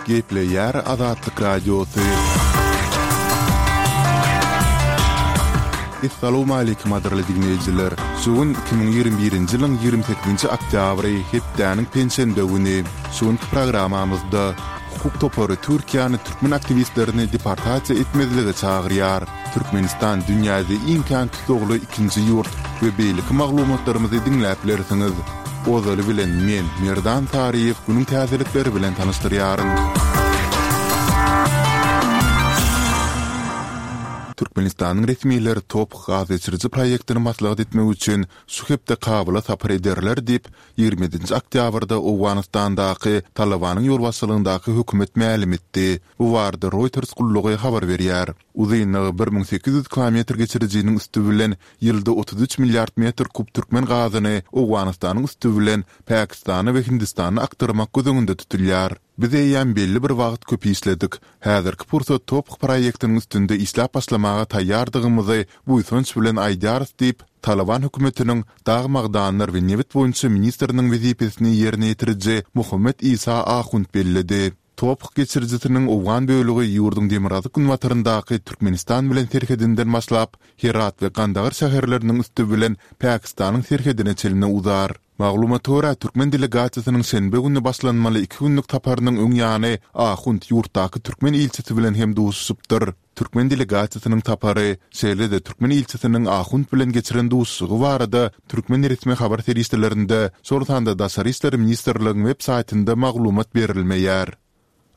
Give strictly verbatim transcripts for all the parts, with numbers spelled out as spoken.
Gepleýär Azatlyk Radiosy. Essalawmaleýkim gadyrly diňleýjiler! Şu gün iki müň ýigrimi birinji ýylyň ýigrimi sekizinji oktýabry, hepdäniň penşenbe güni. Şu günki programmamyzda hukuk topary Türkiýäni türkmen aktiwistlerini deportasiýa etmezlige çagyrýar. Türkmenistan dünýäde iň kän tussagly ikinji ýurt we beýleki maglumatlarymyzy diňläp bilersiňiz. Ozaly bilen men, Merdan Saryýew günüň täzelikleri bilen tanyşdyrýaryn. Türkmenistanyň resmileri TOPH gaz geçiriji proýektini maslahat etmek üçin şu hepde Kabula sapar ederler diýip, ýigrimi ýedinji oktýabrda Owganystandaky Talybanyň ýolbaşçylygyndaky hökümet mälim etdi. Bu barada Reuters gullugy habar berýär. Uzynlygy bir müň sekiz ýüz kilometr geçirijiniň üsti bilen ýylda otuz üç milliard metr kub türkmen gazyny Owganystanyň üsti bilen Pakistana we Hindistana akdyrmak göz öňünde tutulýar. Biz eýýäm belli bir wagt köp işledik. Häzirki pursat TOPH proýektiniň üstünde işläp başlamaga taýýardygymyzy buýsanç bilen aýdýarys diýip, Talyban hökümetiniň dag-magdanlar we nebit boýunça ministriniň wezipesini ýerine ýetiriji Mohammed Isa Ahund belledi. TOPH geçirijisiniň owgan bölegi ýurduň demirgazyk-günbataryndaky Türkmenistan bilen serhedinden başlap, Herat we Gandagar şäherleriniň üsti bilen Pakistanyň serhedine çenli uzar. Maglumata görä, türkmen delegasiýasynyň şenbe güni başlanmaly iki günlük saparynyň öň ýany Ahund ýurtdaky türkmen ilçisi bilen hem duşuşypdyr. Türkmen delegasiýasynyň sapary, şeýle-de türkmen ilçisiniň Ahund bilen geçiren duşuşygy barada türkmen resmi habar serişdelerinde, şol sanda Daşary işler ministrligiň web saýtynda maglumat berilmeýär.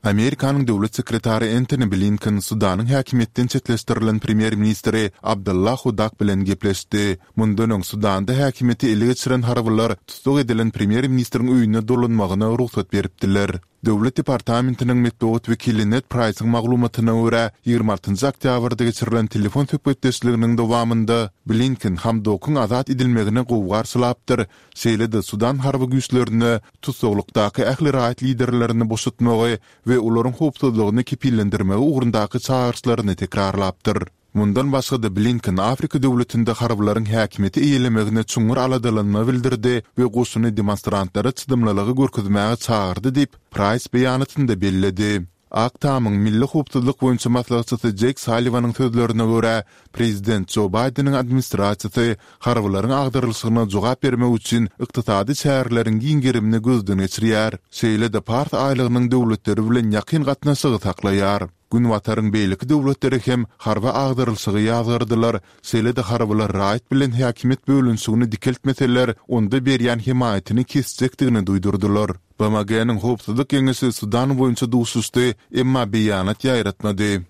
Amerikanyň döwlet sekretary Entoni Blinken Sudanyň häkimiýetden çetleşdirilen premýer-ministri Abdallah Hudak bilen gepleşdi. Mundan öň Sudanda häkimiýeti ele geçiren harbylar tussag edilen premýer-ministriň öýüne dolanmagyna rugsat beripdiler. Döwlet departamentiniň metbugat wekili Ned Praýsyň maglumatyna görä, ýigrimi altynjy oktýabrda geçirilen telefon söhbetdeşliginiň dowamynda Blinken Hamdokyň azat edilmegini gowy garşylapdyr, şeýle-de Sudan harby güýçlerine tussaglykdaky ähli raýat liderlerini boşatmagy we olaryň howpsuzlygyny kepillendirmegi ugrundaky çagyryşlaryny tekrarlapdyr. Mundan başga-da Blinken Afrika döwletinde harbylaryň häkimiýeti eýelemegine çuňňur aladalanma bildirdi we goşuny demonstrantlara çydamlylygy görkezmäge çagyrdy diýip, Praýs beýanatynda belledi. Ak Tamyň milli howpsuzlyk boýunça maslahatçysy Jeýk Salliwanyň sözlerine görä, prezident Jo Baýdeniň administrasiýasy harbylaryň agdarylyşygyna jogap bermek üçin ykdysady çäreleriň giň gerimini gözden geçirýär, şeýle-de Pars aýlagynyň döwletleri bilen ýakyn gatnaşygy saklaýar. Günbataryň beýleki döwletleri hem harby agdarylyşygy ýazgardylar, şeýle-de harbylar raýat bilen häkimiýet bölünişigini dikeltmeseler, onda berýän hemaýatyny kesjekdigini duýdurdylar. BMG-niň Howpsuzlyk Geňeşi Sudan boýunça duşuşdy, emma beýanat ýaýratmady.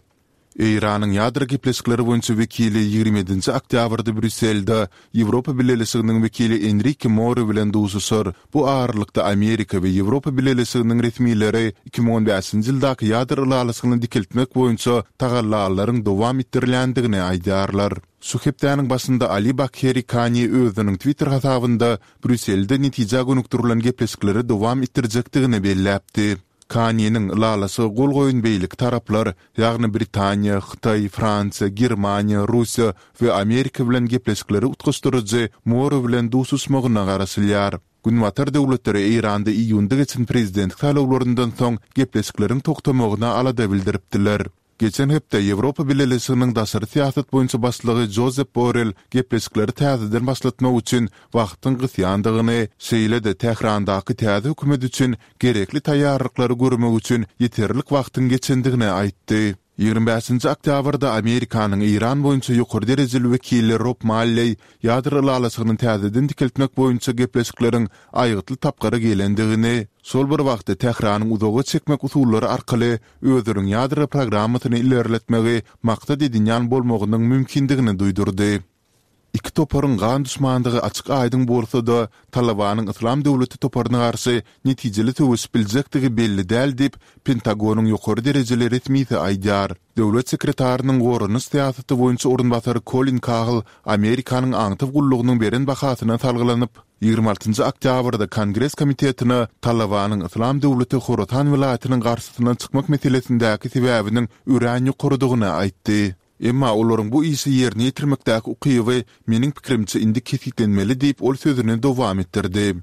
Eýranyň ýadro gepleşikleri boýunça wekili ýigrimi ýedinji oktýabrda Brýusselde Ýewropa Bileleşiginiň wekili Enrike Mori bilen duşuşar. Bu aralykda Amerika we Ýewropa Bileleşiginiň resmileri iki müň on bäşinji ýyldaky ýadro ylalaşygyny dikeltmek boýunça tagallalaryň dowam etdirilýändigini aýdýarlar. Şu hepdäniň başynda Ali Bakheri Kani özüniň Twitter hasabynda Brýusselde netijä gönükdirilen gepleşikleri dowam etdirjekdigini belläpdi. Kaniniň ylalaşyga gol goýan beýleki taraplar, ýagny Britaniýa, Hytaý, Fransiýa, Germaniýa, Russiýa we Amerika bilen gepleşikleri utgaşdyryjy Moro bilen duşuşmagyna garaşylýar. Günbatar döwletleri Eýranda iýunda geçen prezidentlik saýlawlaryndan soň gepleşikleriň togtamagyna alada bildiripdiler. Geçen hepde Ýewropa Bileleşiginiň daşary syýasat boýunça başlygy Jozep Borrel gepleşikleri täzeden başlatmak üçin wagtyň gysýandygyny, şeýle-de Tährandaky täze hökümet üçin gerekli taýýarlyklary görmek üçin ýeterlik wagtyň geçendigini aýtdy. Ýigrimi bäşinji oktýabrda Amerikanyň Eýran boýunça ýokary derejeli wekili Rob Malleý ýadro ylalaşygyny täzeden dikeltmek boýunça gepleşikleriň aýgytly tapgyra gelendigini, şol bir wagtda Tähranyň uzaga çekmek usullary arkaly özüniň ýadro programmasyny ilerletmegi maksat edinýän bolmagynyň mümkindigini duýdurdy. Iki toparyň gan duşmandygy açyk-aýdyň bolsa-da, Talybanyň Yslam döwleti toparyna garşy netijeli söweşip biljekdigi belli däl diýip, Pentagonyň ýokary derejeli resmisi aýdýar. Döwlet sekretarynyň goranyş syýasaty boýunça orunbasary Kolin Kahl Amerikanyň aňtaw gullugynyň beren bahasyna salgylanyp, ýigrimi altynjy oktýabrda Kongres komitetine Talybanyň Yslam döwleti Horasan welaýatynyň garşysyna çykmak meselesindäki sebäbiniň örän ýokarydygyny aýtdy. Emma olaryň bu işi ýerine ýetirmekdäki ukyby, meniň pikirimçe, indi kesgitlenmeli diýip, ol sözüni dowam etdirdi.